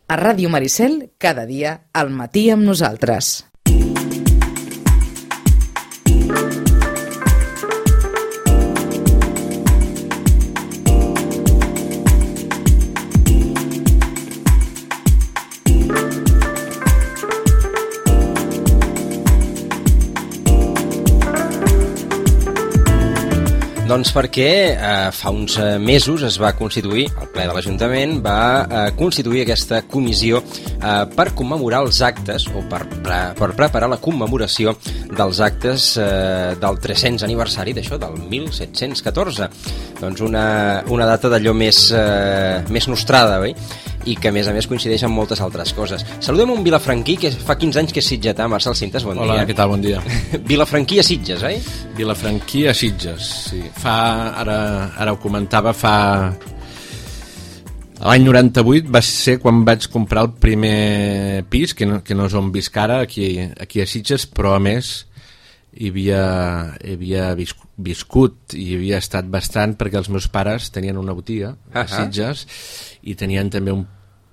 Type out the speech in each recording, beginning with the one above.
A Ràdio Maricel, cada dia, al matí amb nosaltres. Doncs perquè fa uns mesos es va constituir, el ple de l'Ajuntament va constituir aquesta comissió per commemorar els actes o per preparar la commemoració dels actes del 300 aniversari d'això, del 1714. Doncs una data d'allò més nostrada, oi? I que a més coincideix amb moltes altres coses. Saludem un vilafranquí que fa 15 anys que és sitgetà, Marcel Cintas, bon dia. Hola, què tal? Bon dia. Vilafranquí a Sitges, oi? Vilafranquí a Sitges, sí. Ara ho comentava, l'any 98 va ser quan vaig comprar el primer pis, que no és on visc ara, aquí a Sitges, però a més hi havia viscut i hi havia estat bastant perquè els meus pares tenien una botiga a Sitges i tenien també un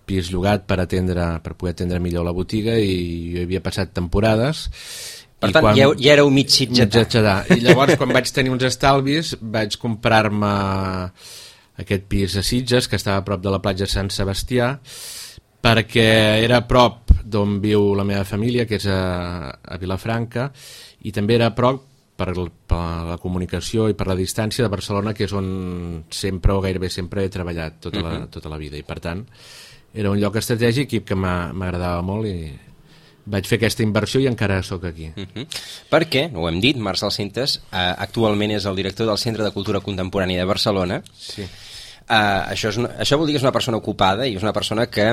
pis llogat per poder atendre millor la botiga, i jo hi havia passat temporades. Per tant, ja éreu mig sitgetà. I llavors, quan vaig tenir uns estalvis, vaig comprar-me aquest pis a Sitges, que estava a prop de la platja Sant Sebastià, perquè era a prop d'on viu la meva família, que és a Vilafranca, i també era a prop per la comunicació i per la distància de Barcelona, que és on sempre o gairebé sempre he treballat tota la vida, i per tant era un lloc estratègic i que m'agradava molt, i vaig fer aquesta inversió i encara sóc aquí. Perquè, ho hem dit, Marcel Cintas actualment és el director del Centre de Cultura Contemporània de Barcelona. Sí. Això vol dir que és una persona ocupada i és una persona que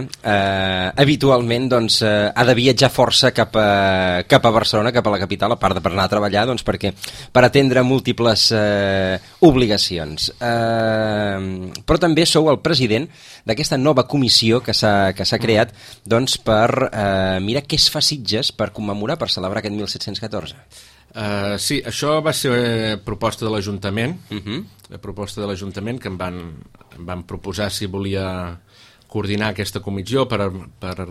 habitualment ha de viatjar força cap a Barcelona, cap a la capital, a part de per anar a treballar, per atendre múltiples obligacions. Però també sou el president d'aquesta nova comissió que s'ha creat per mirar què es fa a Sitges per commemorar, per celebrar aquest 1714. Sí, això va ser proposta de l'Ajuntament, que em van proposar si volia coordinar aquesta comissió per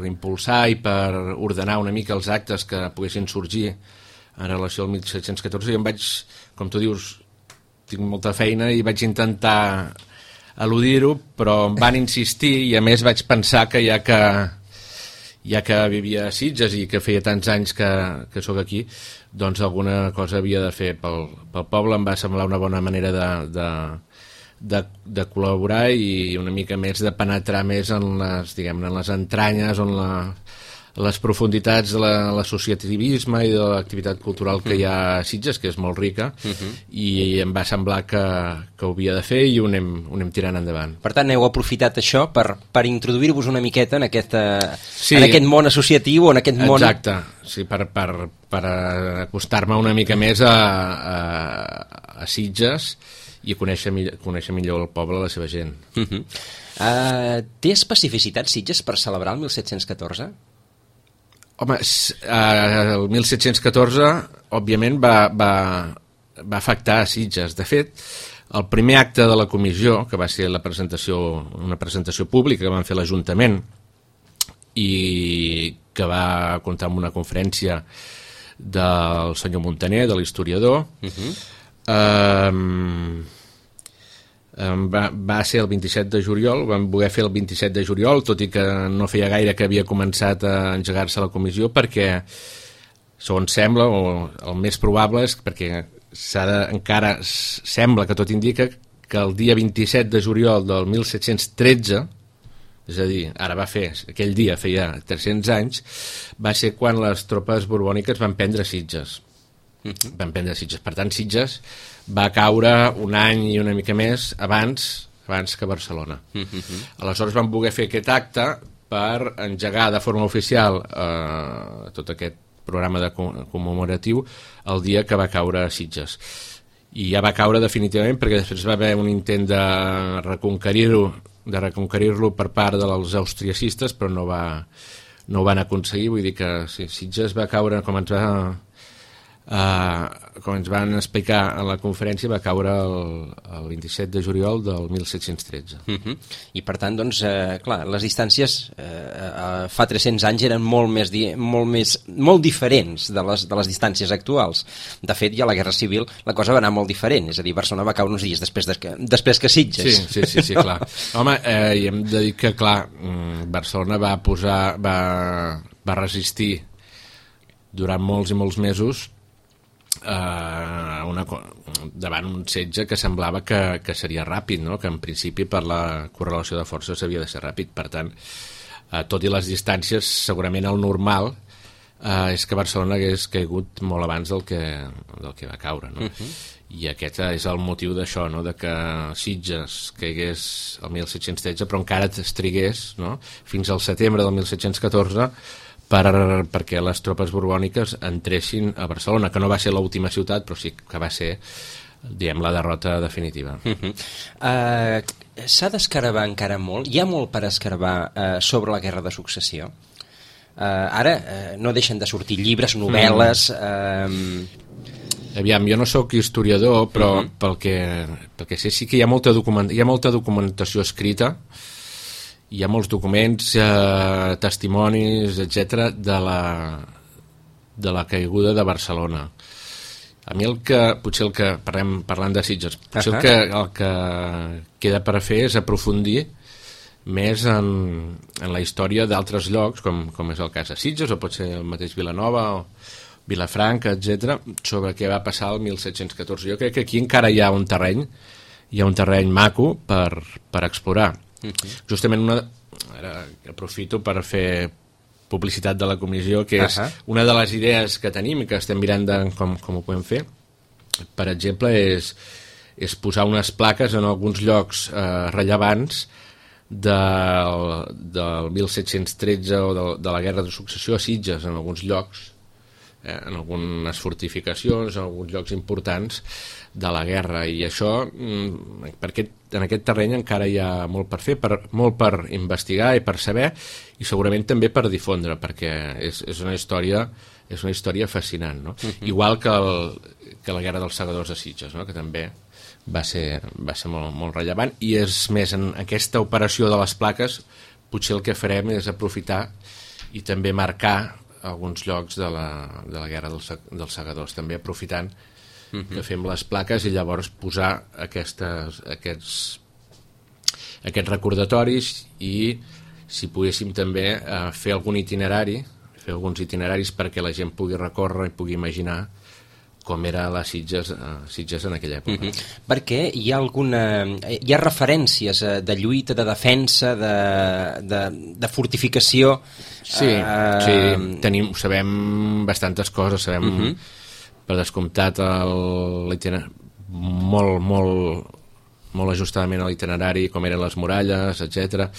impulsar i per ordenar una mica els actes que poguessin sorgir en relació al 1714, i em vaig, com tu dius, tinc molta feina i vaig intentar eludir-ho, però em van insistir, i a més vaig pensar que ja que vivia a Sitges i que feia tants anys que sóc aquí, doncs alguna cosa havia de fer pel poble. Em va semblar una bona manera de col·laborar i una mica més de penetrar més en les entranyes, en les profunditats de l'associativisme i de l'activitat cultural que hi ha a Sitges, que és molt rica, i em va semblar que ho havia de fer, i ho anem tirant endavant. Per tant, heu aprofitat això per introduir-vos una miqueta en aquest món associatiu, en aquest món... Exacte, sí, per acostar-me una mica més a Sitges i conèixer millor el poble, la seva gent. Té especificitat Sitges per celebrar el 1714? Home, el 1714, òbviament, va afectar a Sitges. De fet, el primer acte de la comissió, que va ser una presentació pública que van fer l'Ajuntament i que va comptar amb una conferència del senyor Montaner, de l'historiador, va ser el 27 de juliol, vam voler fer el 27 de juliol, tot i que no feia gaire que havia començat a engegar-se la comissió, perquè, segons sembla, o el més probable és perquè encara sembla que tot indica que el dia 27 de juliol del 1713, és a dir, aquell dia feia 300 anys, va ser quan les tropes borbòniques van prendre Sitges. Per tant, Sitges va caure un any i una mica més abans que Barcelona. Aleshores vam voler fer aquest acte per engegar de forma oficial tot aquest programa commemoratiu el dia que va caure a Sitges. I ja va caure definitivament, perquè després va haver un intent de reconquerir-lo per part dels austriacistes, però no ho van aconseguir. Vull dir que Sitges va caure, com ens va com ens van explicar a la conferència, va caure el 27 de juliol del 1713. I per tant, doncs, clar, les distàncies fa 300 anys eren molt diferents de les distàncies actuals. De fet, ja a la Guerra Civil la cosa va anar molt diferent, és a dir, Barcelona va caure uns dies després que Sitges. Sí, clar. Home, i hem de dir que, clar, Barcelona va resistir durant molts i molts mesos davant un setge que semblava que seria ràpid, no? Que en principi per la correlació de forces havia de ser ràpid. Per tant, tot i les distàncies, segurament el normal és que Barcelona hagués caigut molt abans del que va caure, no? I aquest és el motiu d'això, no? De que Sitges caigués el 1713 però encara es trigués, no? Fins al setembre del 1714 perquè les tropes borbòniques entressin a Barcelona, que no va ser l'última ciutat, però sí que va ser, diguem, la derrota definitiva. S'ha d'escarbar encara molt? Hi ha molt per escarbar sobre la Guerra de Successió? Ara no deixen de sortir llibres, novel·les... Aviam, jo no sóc historiador, però pel que sé sí que hi ha molta documentació escrita, hi ha molts documents, testimonis, etc de la caiguda de Barcelona. A mi potser el que parlant de Sitges, potser el que queda per fer és aprofundir més en la història d'altres llocs, com és el cas de Sitges, o pot ser el mateix Vilanova o Vilafranca, etc, sobre què va passar el 1714. Jo crec que aquí encara hi ha un terreny maco per explorar. Justament ara aprofito per fer publicitat de la comissió, que és una de les idees que tenim i que estem mirant com ho podem fer. Per exemple, és posar unes plaques en alguns llocs rellevants del 1713 o de la Guerra de Successió a Sitges, en alguns llocs, en algunes fortificacions, en alguns llocs importants de la guerra, i això perquè en aquest terreny encara hi ha molt per fer, molt per investigar i per saber, i segurament també per difondre, perquè és una història fascinant, no? Igual que la Guerra dels Segadors de Sitges, no? Que també va ser molt, molt rellevant, i és més, en aquesta operació de les plaques potser el que farem és aprofitar i també marcar alguns llocs de la Guerra dels Segadors, també aprofitant que fem les plaques i llavors posar aquests recordatoris, i si poguéssim també fer alguns itineraris perquè la gent pugui recórrer i pugui imaginar com era la Sitges en aquella època. Perquè hi ha referències de lluita, de defensa, de fortificació. Sí, sabem bastantes coses, sabem per descomptat molt ajustadament a l'itinerari, com eren les muralles, etc.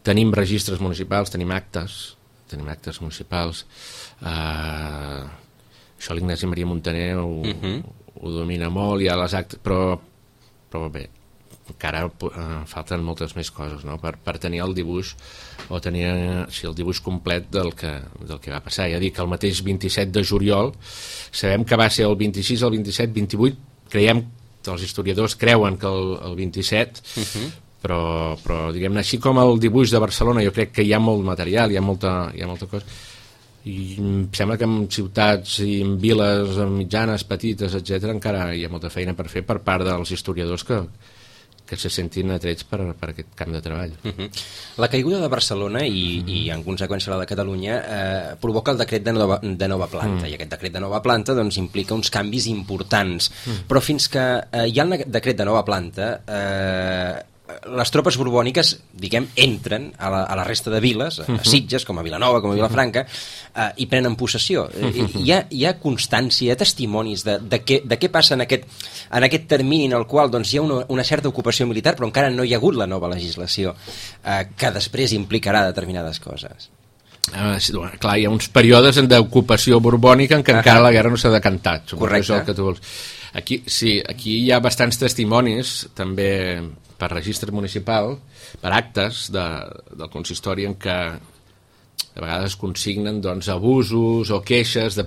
Tenim registres municipals, tenim actes municipals. Això l'Ignasi Maria Montaner ho domina molt, hi ha les actes, però bé, encara falten moltes més coses, no? Per tenir el dibuix, o tenir el dibuix complet del que va passar. Ja dic que el mateix 27 de juliol sabem que va ser el 26, el 27, 28, creiem, els historiadors creuen que el 27, però diguem-ne, així com el dibuix de Barcelona, jo crec que hi ha molt material, hi ha molta cosa, i em sembla que en ciutats i en viles mitjanes, petites, etc, encara hi ha molta feina per fer per part dels historiadors que se sentin atrets per aquest camp de treball. La caiguda de Barcelona i en conseqüència la de Catalunya provoca el decret de nova planta, i aquest decret de nova planta doncs, implica uns canvis importants, però fins que hi ha el decret de nova planta les tropes borbòniques, diguem, entren a la resta de viles, a Sitges, com a Vilanova, com a Vilafranca, i prenen possessió. Hi ha constància, hi ha testimonis de què passa en aquest termini en el qual doncs, hi ha una certa ocupació militar, però encara no hi ha hagut la nova legislació que després implicarà determinades coses. Clar, hi ha uns períodes d'ocupació borbònica en què encara la guerra no s'ha decantat. Correcte. Això que tu vols. Aquí hi ha bastants testimonis, també per registre municipal, per actes del consistori, en què de vegades consignen doncs, abusos o queixes de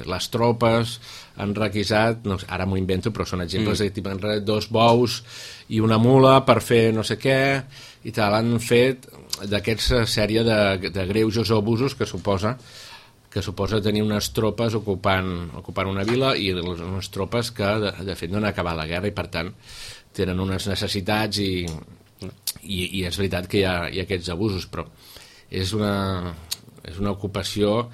les tropes han requisat, no, ara m'ho invento, però són exemples de tipus 2 bous i una mula per fer no sé què i tal, han fet d'aquesta sèrie de greuges o abusos que suposa tenir unes tropes ocupant una vila i unes tropes que de fet no han acabat la guerra i per tant tenen unes necessitats i és veritat que hi ha aquests abusos, però és una ocupació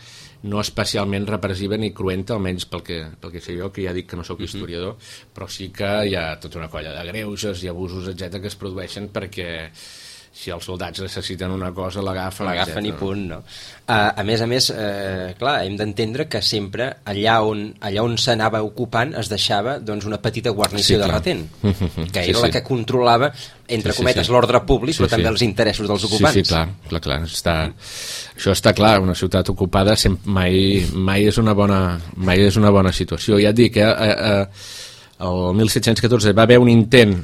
no especialment repressiva ni cruenta, almenys pel que sé jo, que ja dic que no sóc historiador, però sí que hi ha tota una colla de greuges i abusos, etc que es produeixen perquè si els soldats necessiten una cosa l'agafen i punt, no? A més, clar, hem d'entendre que sempre allà on s'anava ocupant es deixava doncs, una petita guarnició de retent, que era la que controlava, entre cometes, l'ordre públic, però també els interessos dels ocupants. Sí, clar. Això està clar, una ciutat ocupada mai és una bona situació. Ja et dic, el 1714 va haver un intent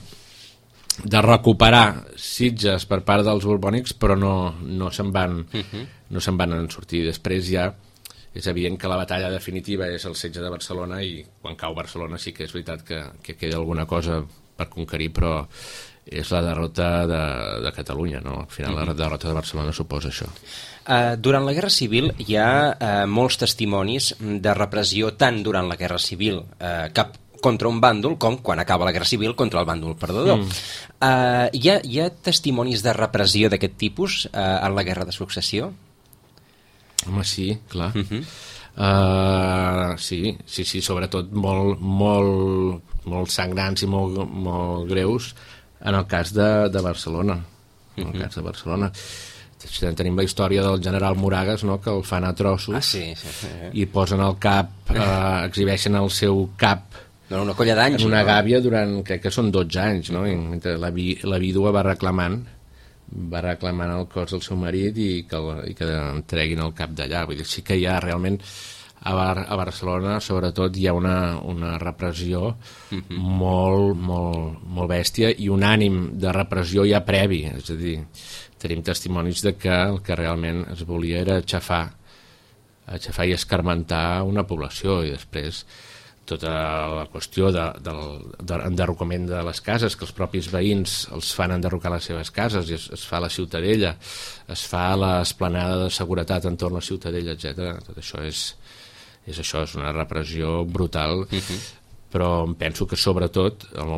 de recuperar Sitges per part dels borbònics, però no se'n van sortir. Després ja és evident que la batalla definitiva és el setge de Barcelona i quan cau Barcelona sí que és veritat que queda alguna cosa per conquerir, però és la derrota de Catalunya, no? Al final la derrota de Barcelona suposa això. Durant la Guerra Civil hi ha molts testimonis de repressió tant durant la Guerra Civil contra un bàndol com quan acaba la Guerra Civil contra el bàndol perdedor. Hi ha testimonis de repressió d'aquest tipus en la Guerra de Successió? Home, sí, clar. Sí, sobretot molt sangrants i molt greus en el cas de Barcelona. En el cas de Barcelona. Tenim la història del general Moragas, no?, que el fan a trossos i posen el cap, exhibeixen el seu cap una colla d'anys. En una gàbia durant, crec que són 12 anys, no? I mentre la vídua va reclamant el cos del seu marit i que entreguin el cap d'allà. Vull dir, sí que hi ha realment a Barcelona, sobretot, hi ha una repressió molt bèstia i un ànim de repressió ja previ. És a dir, tenim testimonis de que el que realment es volia era aixafar i escarmentar una població i després tota la qüestió d'enderrocament de les cases, que els propis veïns els fan enderrocar les seves cases i es fa la Ciutadella, es fa l'esplanada de seguretat entorn a la Ciutadella, etc. Tot això és una repressió brutal, però penso que sobretot el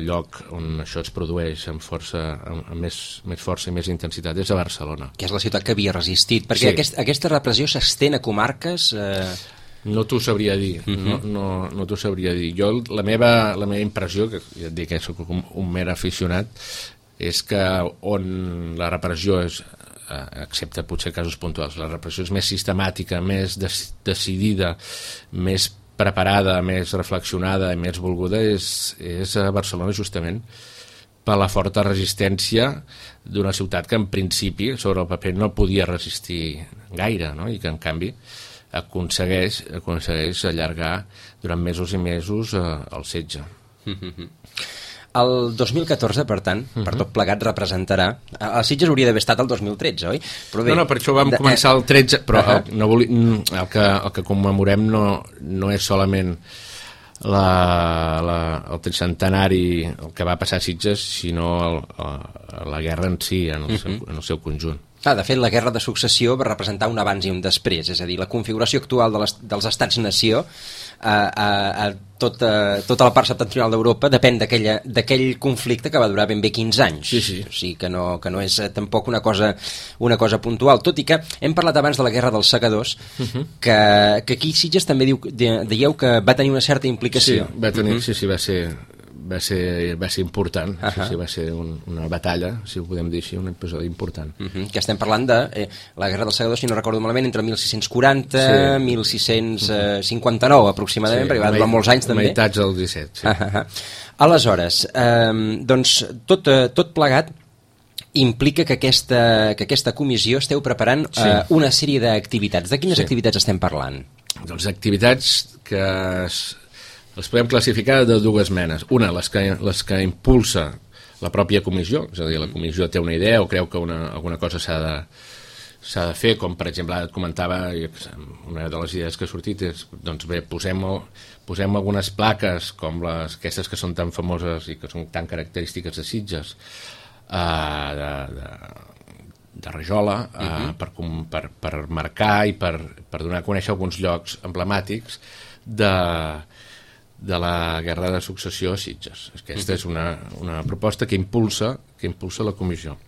lloc on això es produeix amb més força i més intensitat és a Barcelona. Que és la ciutat que havia resistit, perquè aquesta repressió s'estén a comarques... No t'ho sabria dir, no t'ho sabria dir. Jo, la meva impressió, que ja et dic que soc un mer aficionat, és que on la repressió és, excepte potser casos puntuals, la repressió és més sistemàtica, més decidida, més preparada, més reflexionada i més volguda, és a Barcelona justament per la forta resistència d'una ciutat que en principi sobre el paper no podia resistir gaire, no? I que en canvi aconsegueix allargar durant mesos i mesos el setge. El 2014, per tant, per tot plegat representarà... El Sitges hauria d'haver estat el 2013, oi? Però bé, no, per això vam començar el 13, però el que commemorem no és solament el tricentenari, el que va passar a Sitges, sinó la guerra en si, en el seu conjunt. De fet, la Guerra de Successió va representar un abans i un després, és a dir, la configuració actual dels estats-nació a tota la part septentrional d'Europa depèn d'aquell conflicte que va durar ben bé 15 anys. Sí. O sigui que no és tampoc una cosa puntual, tot i que hem parlat abans de la Guerra dels Segadors, que aquí Sitges també dieu que va tenir una certa implicació. Va ser important, va ser una batalla, si ho podem dir així, un episodi important. Que estem parlant de la Guerra dels Segadors, si no recordo malament, entre 1640 i 1659 aproximadament, perquè va durar molts anys també. Meitats del 17, sí. Aleshores, doncs tot plegat implica que aquesta comissió esteu preparant una sèrie d'activitats. De quines activitats estem parlant? Doncs activitats que les podem classificar de dues menes. Una, les que impulsa la pròpia comissió, és a dir, la comissió té una idea o creu que alguna cosa s'ha s'ha de fer, com per exemple et comentava, una de les idees que ha sortit és, doncs bé, posem algunes plaques com aquestes que són tan famoses i que són tan característiques de Sitges, de rajola, per marcar i per donar a conèixer alguns llocs emblemàtics de la Guerra de Successió a Sitges. Aquesta és una proposta que impulsa la comissió.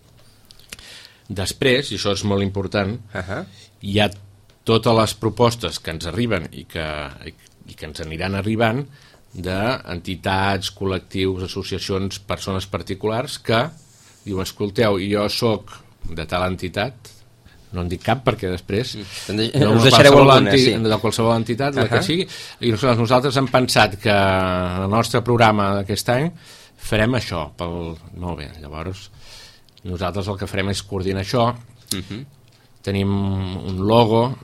Després, i això és molt important, hi ha totes les propostes que ens arriben i que ens aniran arribant d'entitats, col·lectius, associacions, persones particulars que diuen, escolteu, jo sóc de tal entitat, no en dic cap perquè després us deixareu alguna, de qualsevol entitat, la que sigui, i nosaltres hem pensat que en el nostre programa d'aquest any farem això, molt bé, llavors nosaltres el que farem és coordinar això, tenim un logo,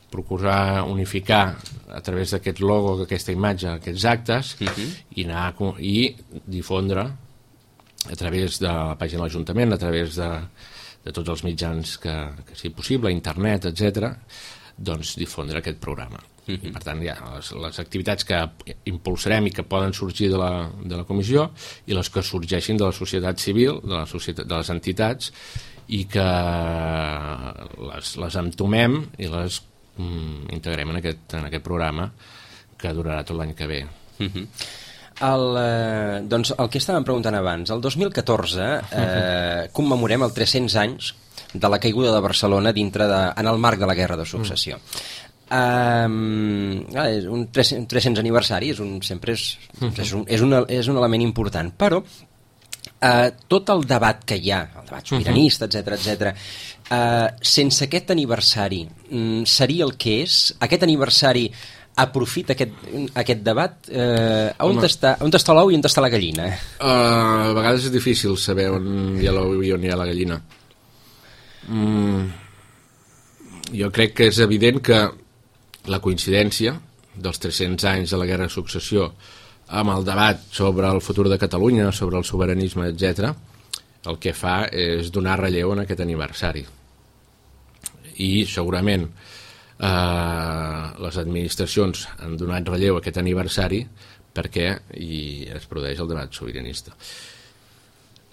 procurar unificar a través d'aquest logo, aquesta imatge, aquests actes, i difondre a través de la pàgina de l'Ajuntament, a través de tots els mitjans que sigui possible, internet, etc., doncs difondre aquest programa. I per tant hi ha les activitats que impulsarem i que poden sorgir de la comissió i les que sorgeixin de la societat civil, de les entitats, i que les entomem i les integrem en aquest programa que durarà tot l'any que ve. Doncs el que estàvem preguntant abans, el 2014 commemorem els 300 anys de la caiguda de Barcelona en el marc de la Guerra de Successió. Un 300 aniversari sempre és un element important, però tot el debat que hi ha, el debat sobiranista, etc., sense aquest aniversari seria el que és? Aquest aniversari aprofita aquest debat? On està l'ou i on està la gallina? A vegades és difícil saber on hi ha l'ou i on hi ha la gallina. Jo crec que és evident que la coincidència dels 300 anys de la Guerra de Successió amb el debat sobre el futur de Catalunya, sobre el sobiranisme, etc., el que fa és donar relleu en aquest aniversari. I segurament les administracions han donat relleu a aquest aniversari perquè es produeix el debat sobiranista.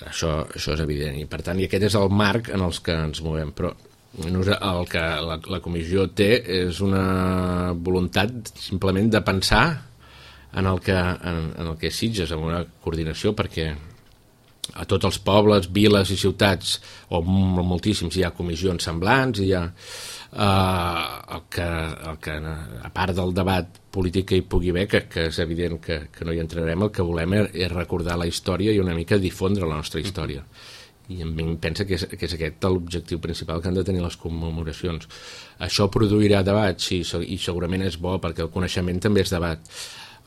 Això és evident, i per tant aquest és el marc en els que ens movem, però el que la comissió té és una voluntat simplement de pensar en el que és Sitges, amb una coordinació, perquè a tots els pobles, viles i ciutats, o moltíssims, hi ha comissions semblants, hi ha el que a part del debat polític que hi pugui haver, que és evident que no hi entrarem, el que volem és recordar la història i una mica difondre la nostra història. I em pensa que és aquest l'objectiu principal que han de tenir les commemoracions. Això produirà debat, sí, i segurament és bo, perquè el coneixement també és debat.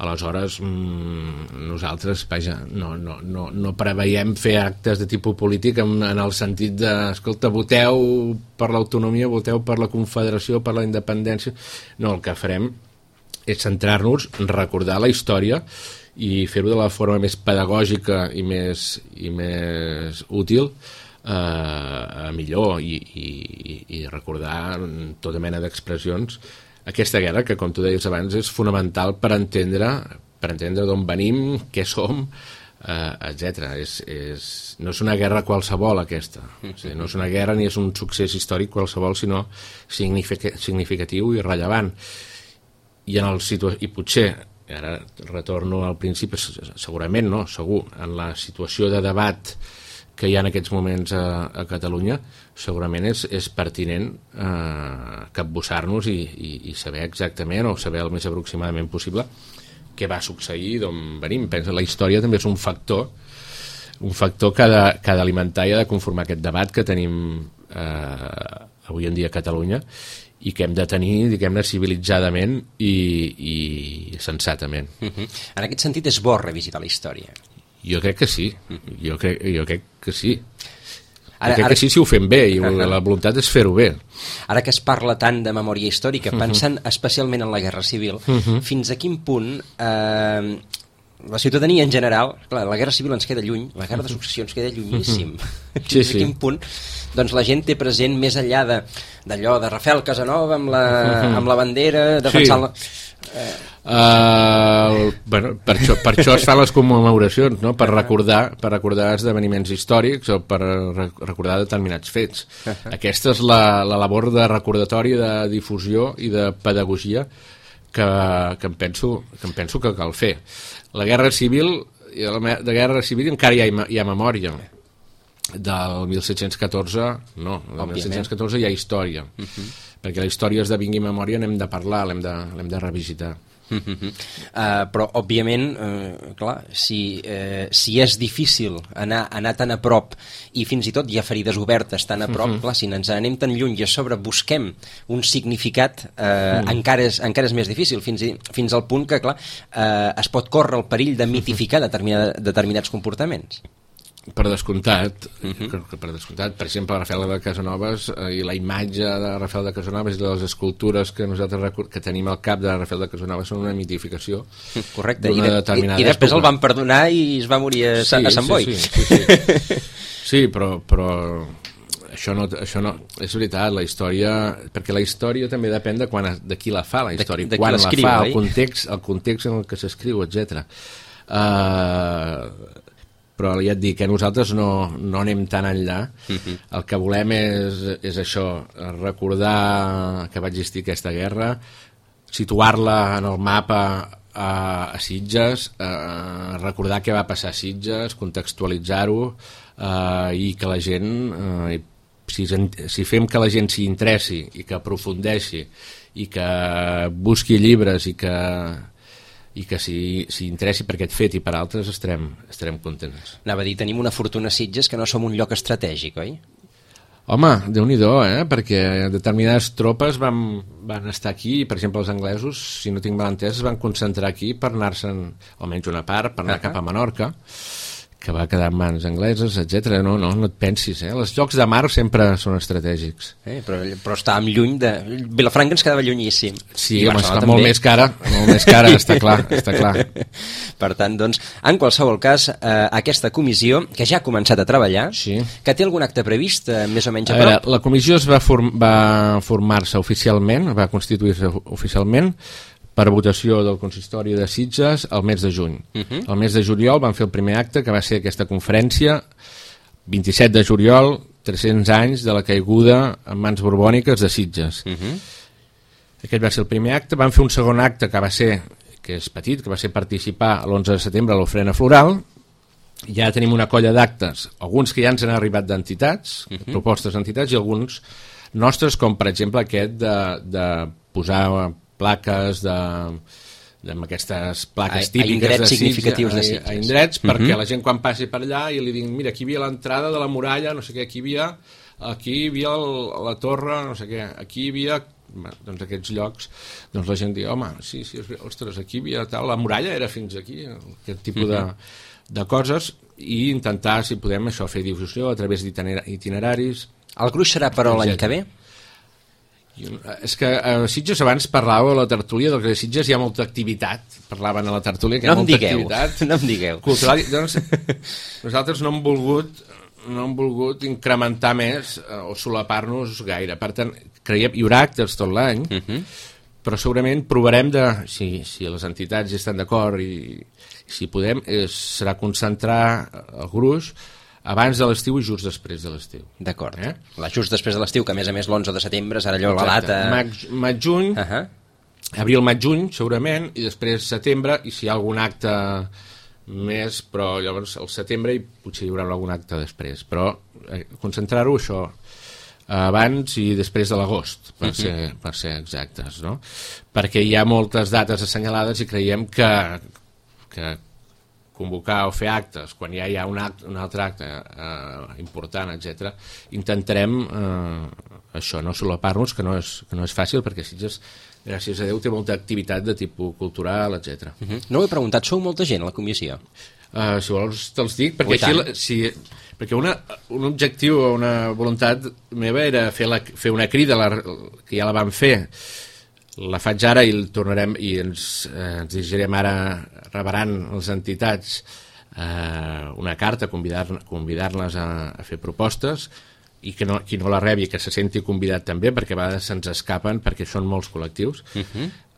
Aleshores, nosaltres, vaja, no preveiem fer actes de tipus polític en el sentit de, escolta, voteu per l'autonomia, voteu per la confederació, per la independència. No, el que farem és centrar-nos en recordar la història i fer-ho de la forma més pedagògica i més útil, millor, i recordar tota mena d'expressions. Aquesta guerra, que com tu deies abans, és fonamental per entendre d'on venim, què som, etc. No és una guerra qualsevol, aquesta. No és una guerra ni és un succés històric qualsevol, sinó significatiu i rellevant. I potser, ara retorno al principi, segurament no, segur, en la situació de debat que hi ha en aquests moments a Catalunya, segurament és pertinent capbussar-nos i saber exactament, o saber el més aproximadament possible, què va succeir, d'on venim. Pensa, la història també és un factor que ha d'alimentar i ha de conformar aquest debat que tenim avui en dia a Catalunya, i que hem de tenir, diguem-ne, civilitzadament i sensatament. En aquest sentit és bo revisitar la història? Jo crec que sí, jo crec que sí. Crec que sí, si ho fem bé, i la voluntat és fer-ho bé. Ara que es parla tant de memòria històrica, pensant especialment en la Guerra Civil, fins a quin punt la ciutadania en general, clar, la guerra civil ens queda lluny, la guerra de successió ens queda llunyíssim. Sí, A quin punt doncs la gent té present més enllà d'allò de Rafael Casanova amb la bandera defensant bueno, per això es fan les commemoracions, no? Per recordar esdeveniments històrics o per recordar determinats fets. Aquesta és la labor de recordatori, de difusió i de pedagogia que em penso que cal fer. La guerra civil, de guerra civil encara hi ha memòria. Del 1714 no, del 1714 hi ha història, perquè la història esdevingui memòria, n'hem de parlar, l'hem de revisitar. Però òbviament clar, si és difícil anar tan a prop i fins i tot hi ha ferides obertes tan a prop, clar, si ens anem tan lluny i a sobre busquem un significat encara és més difícil, fins al punt que clar, es pot córrer el perill de mitificar determinats comportaments. Per descomptat, per exemple, Rafael de Casanovas i la imatge de Rafael de Casanovas i les escultures que nosaltres que tenim al cap de Rafael de Casanovas són una mitificació. Correcte, i després el van perdonar i es va morir a Sant Boi. Sí, però això no és veritat, la història, perquè la història també depèn de qui la fa, la història, quan la fa, el context en el que s'escriu, etc. Però ja et dic que nosaltres no anem tan enllà. El que volem és això, recordar que va existir aquesta guerra, situar-la en el mapa a Sitges, recordar què va passar a Sitges, contextualitzar-ho, i que la gent, si fem que la gent s'hi interessi i que aprofundeixi i que busqui llibres i que s'hi interessi per aquest fet i per altres, estarem contents. Anava a dir, tenim una fortuna a Sitges que no som un lloc estratègic, oi? Home, Déu-n'hi-do, perquè determinades tropes van estar aquí, per exemple els anglesos, si no tinc mal entès, es van concentrar aquí per anar-se'n, almenys una part, per anar cap a Menorca, que va quedar en mans angleses, etc. No et pensis, els llocs de mar sempre són estratègics. Però estàvem lluny de... Vilafranca ens quedava llunyíssim. Sí, home, està molt més cara, està clar. Per tant, doncs, en qualsevol cas, aquesta comissió, que ja ha començat a treballar, que té algun acte previst, més o menys a prop? La comissió va formar-se oficialment, va constituir-se oficialment, per votació del consistori de Sitges el mes de juny. El mes de juliol van fer el primer acte, que va ser aquesta conferència, 27 de juliol, 300 anys de la caiguda en mans borbòniques de Sitges. Aquest va ser el primer acte. Van fer un segon acte que va ser, que és petit, que va ser participar l'11 de setembre a l'ofrena floral. Ja tenim una colla d'actes, alguns que ja ens han arribat d'entitats, propostes d'entitats, i alguns nostres, com per exemple aquest de posar plaques amb aquestes plaques típiques de Sitges, a indrets, perquè la gent quan passi per allà i li diguin, mira, aquí hi havia l'entrada de la muralla, no sé què, aquí hi havia la torre, no sé què, aquí hi havia, doncs aquests llocs, doncs la gent diu, home, sí, ostres, aquí hi havia tal, la muralla era fins aquí, aquest tipus de coses, i intentar, si podem, això, fer difusió a través d'itineraris. El gruix serà però l'any que ve? És que a Sitges abans parlàveu a la tertúlia del que a Sitges hi ha molta activitat, parlaven a la tertúlia que hi ha molta activitat no em digueu cultural, doncs nosaltres no hem volgut incrementar més o solapar-nos gaire, per tant creiem hi haurà actes tot l'any, però segurament provarem si les entitats hi estan d'acord i si podem, serà concentrar el gruix abans de l'estiu i just després de l'estiu. D'acord. Just després de l'estiu, que a més l'11 de setembre serà allò la data... Maig-juny, abril-maig-juny, segurament, i després setembre, i si hi ha algun acte més, però llavors al setembre i potser hi haurà algun acte després. Però concentrar-ho, això, abans i després de l'agost, per ser exactes, no? Perquè hi ha moltes dates assenyalades i creiem que convocar o fer actes quan ja hi ha un altre acte important, etc. Intentarem això, no solapar-nos, que no és fàcil, perquè Sitges, gràcies a Déu, té molta activitat de tipus cultural, etc. No ho he preguntat, sou molta gent a la comissió? Si vols te'ls dic, perquè perquè un objectiu o una voluntat meva era fer una crida, que ja la vam fer la faig ara i tornarem i ens dirigirem ara, rebrant les entitats una carta, convidar-les a fer propostes, i que qui no la rebi que se senti convidat també, perquè a vegades se'ns escapen, perquè són molts col·lectius,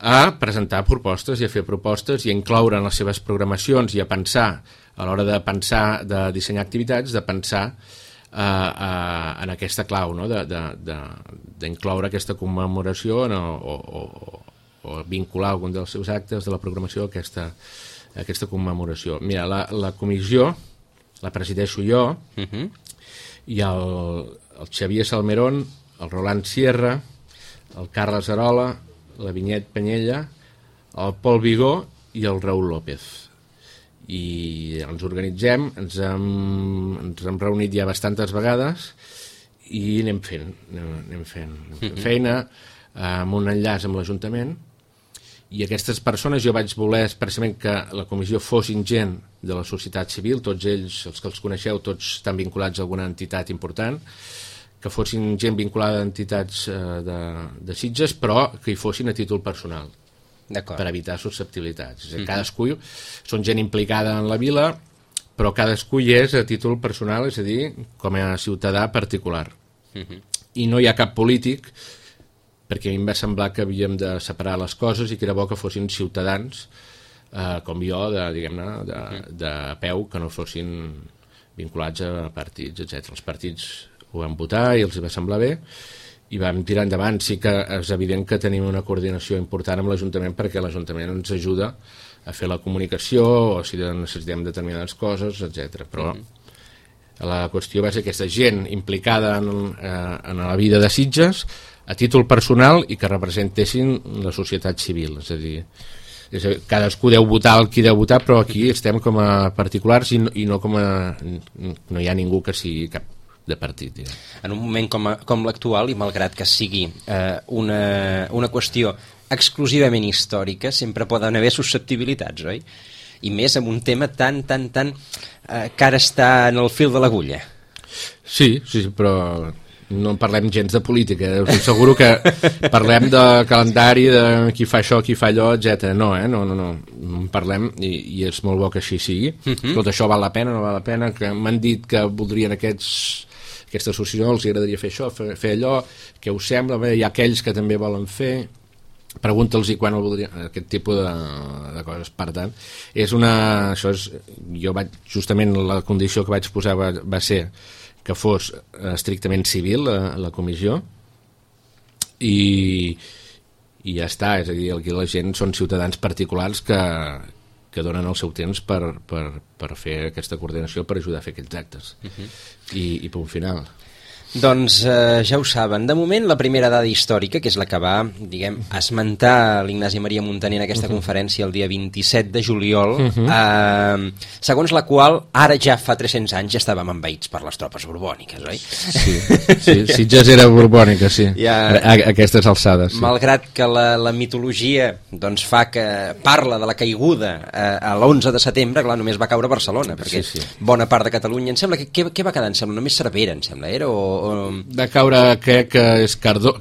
a presentar propostes i a fer propostes i a incloure en les seves programacions i a pensar, a l'hora de pensar, de dissenyar activitats, de pensar en aquesta clau, no? D'incloure aquesta commemoració o vincular algun dels seus actes de la programació a aquesta commemoració. Mira, la comissió la presideixo jo, i el Xavier Salmerón, el Roland Sierra, el Carles Arola, la Vinyet Penyella, el Pol Vigó i el Raül López. I ens organitzem, ens hem reunit ja bastantes vegades i anem fent feina amb un enllaç amb l'Ajuntament, i aquestes persones jo vaig voler expressament que la comissió fossin gent de la societat civil, tots ells, els que els coneixeu, tots estan vinculats a alguna entitat important, que fossin gent vinculada a entitats de Sitges, però que hi fossin a títol personal, per evitar susceptibilitats. És a dir, cadascú són gent implicada en la vila, però cadascú hi és a títol personal, és a dir, com a ciutadà particular. I no hi ha cap polític, perquè a mi em va semblar que havíem de separar les coses i que era bo que fossin ciutadans com jo, de peu, que no fossin vinculats a partits, etc. Els partits ho van votar i els va semblar bé i vam tirar endavant. Sí que és evident que tenim una coordinació important amb l'Ajuntament, perquè l'Ajuntament ens ajuda a fer la comunicació o si necessitem determinades coses, etc. Però la qüestió va ser aquesta gent implicada en la vida de Sitges a títol personal i que representessin la societat civil. És a dir, cadascú deu votar el qui deu votar, però aquí estem com a particulars i no com a... no hi ha ningú que sigui cap de partit. En un moment com l'actual, i malgrat que sigui una qüestió exclusivament històrica, sempre poden haver susceptibilitats, oi? I més amb un tema tan que ara està en el fil de l'agulla. Sí, però no parlem gens de política, us asseguro que parlem de calendari, de qui fa això, qui fa allò, etc. No, no parlem, i és molt bo que així sigui. Tot això val la pena, no val la pena, que m'han dit que voldrien aquesta associació, els agradaria fer això, fer allò, què us sembla? Bé, hi ha aquells que també volen fer, pregunta'ls quan el voldrien, aquest tipus de coses. Per tant, justament la condició que vaig posar va ser que fos estrictament civil la comissió i ja està. És a dir, aquí la gent són ciutadans particulars que donen el seu temps per fer aquesta coordinació, per ajudar a fer aquells actes. I punt final. Doncs ja ho saben, de moment la primera dada històrica, que és la que va, esmentar l'Ignasi Maria Muntaner en aquesta conferència el dia 27 de juliol, segons la qual ara ja fa 300 anys ja estàvem envaïts per les tropes borbòniques, oi? Sí, Sitges era borbònica, sí, a aquestes alçades. Malgrat que la mitologia doncs fa que parla de la caiguda a l'11 de setembre, clar, només va caure Barcelona, perquè bona part de Catalunya, em sembla, què va quedar? Em sembla, només Cervera, em sembla, era? Va caure, crec que és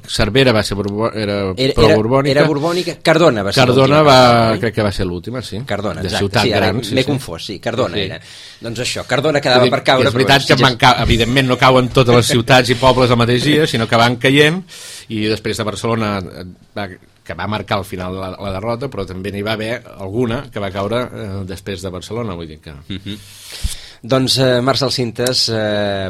Cervera va ser pro-borbònica. Era borbònica, Cardona va ser l'última. Crec que va ser l'última, sí. Cardona, exacte. Ciutat gran. M'he confós, sí, Cardona era. Doncs això, Cardona quedava per caure. És veritat que evidentment no cauen totes les ciutats i pobles el mateix dia, sinó que van caient, i després de Barcelona que va marcar al final la derrota, però també n'hi va haver alguna que va caure després de Barcelona, vull dir que... Doncs Marc Salsintes,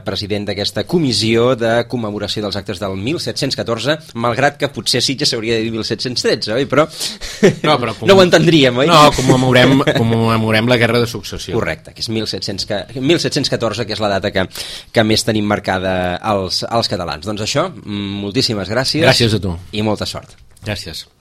president d'aquesta comissió de commemoració dels actes del 1714, malgrat que potser Sitges s'hauria de dir 1713, oi? Però no ho entendríem, oi? No, commemorem la Guerra de Successió. Correcte, que és 1714, que és la data que més tenim marcada els catalans. Doncs això, moltíssimes gràcies. Gràcies a tu. I molta sort. Gràcies.